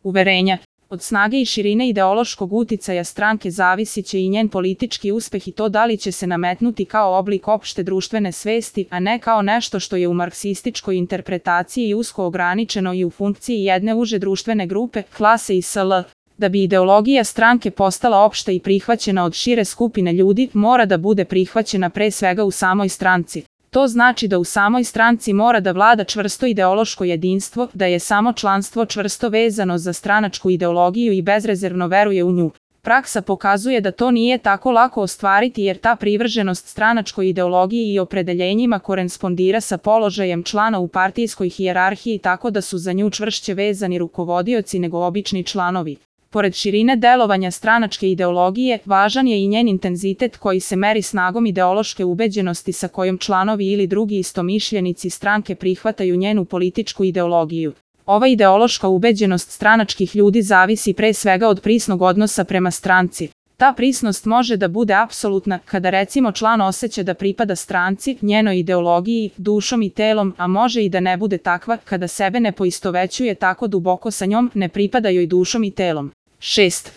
uverenja. Od snage i širine ideološkog uticaja stranke zavisit će i njen politički uspeh i to da li će se nametnuti kao oblik opšte društvene svesti, a ne kao nešto što je u marksističkoj interpretaciji usko ograničeno i u funkciji jedne uže društvene grupe, klase i sl. Da bi ideologija stranke postala opšta i prihvaćena od šire skupine ljudi, mora da bude prihvaćena pre svega u samoj stranci. To znači da u samoj stranci mora da vlada čvrsto ideološko jedinstvo, da je samo članstvo čvrsto vezano za stranačku ideologiju i bezrezervno veruje u nju. Praksa pokazuje da to nije tako lako ostvariti jer ta privrženost stranačkoj ideologiji i opredeljenjima korespondira sa položajem člana u partijskoj hijerarhiji tako da su za nju čvršće vezani rukovodioci nego obični članovi. Pored širine delovanja stranačke ideologije, važan je i njen intenzitet koji se meri snagom ideološke ubeđenosti sa kojom članovi ili drugi istomišljenici stranke prihvataju njenu političku ideologiju. Ova ideološka ubeđenost stranačkih ljudi zavisi pre svega od prisnog odnosa prema stranci. Ta prisnost može da bude apsolutna kada recimo član osjeća da pripada stranci, njenoj ideologiji, dušom i telom, a može i da ne bude takva kada sebe ne poistovećuje tako duboko sa njom, ne pripada joj dušom i telom. 6.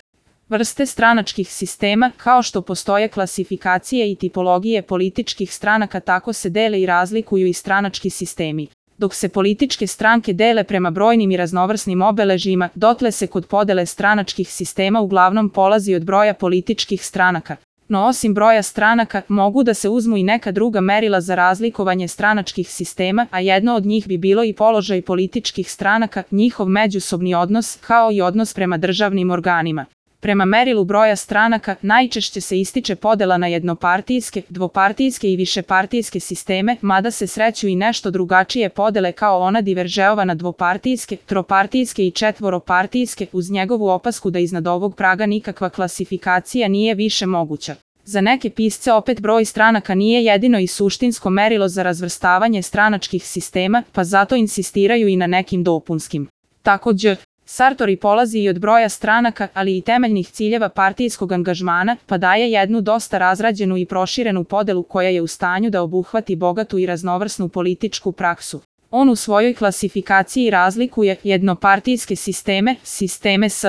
Vrste stranačkih sistema. Kao što postoje klasifikacije i tipologije političkih stranaka, tako se dele i razlikuju i stranački sistemi. Dok se političke stranke dele prema brojnim i raznovrsnim obeležjima, dotle se kod podele stranačkih sistema uglavnom polazi od broja političkih stranaka. No osim broja stranaka, mogu da se uzmu i neka druga merila za razlikovanje stranačkih sistema, a jedno od njih bi bilo i položaj političkih stranaka, njihov međusobni odnos, kao i odnos prema državnim organima. Prema merilu broja stranaka, najčešće se ističe podela na jednopartijske, dvopartijske i višepartijske sisteme, mada se sreću i nešto drugačije podele kao ona Diveržeova na dvopartijske, tropartijske i četvoropartijske, uz njegovu opasku da iznad ovog praga nikakva klasifikacija nije više moguća. Za neke pisce opet broj stranaka nije jedino i suštinsko merilo za razvrstavanje stranačkih sistema, pa zato insistiraju i na nekim dopunskim. Takođe, Sartori polazi i od broja stranaka, ali i temeljnih ciljeva partijskog angažmana, pa daje jednu dosta razrađenu i proširenu podelu koja je u stanju da obuhvati bogatu i raznovrsnu političku praksu. On u svojoj klasifikaciji razlikuje jednopartijske sisteme, sisteme s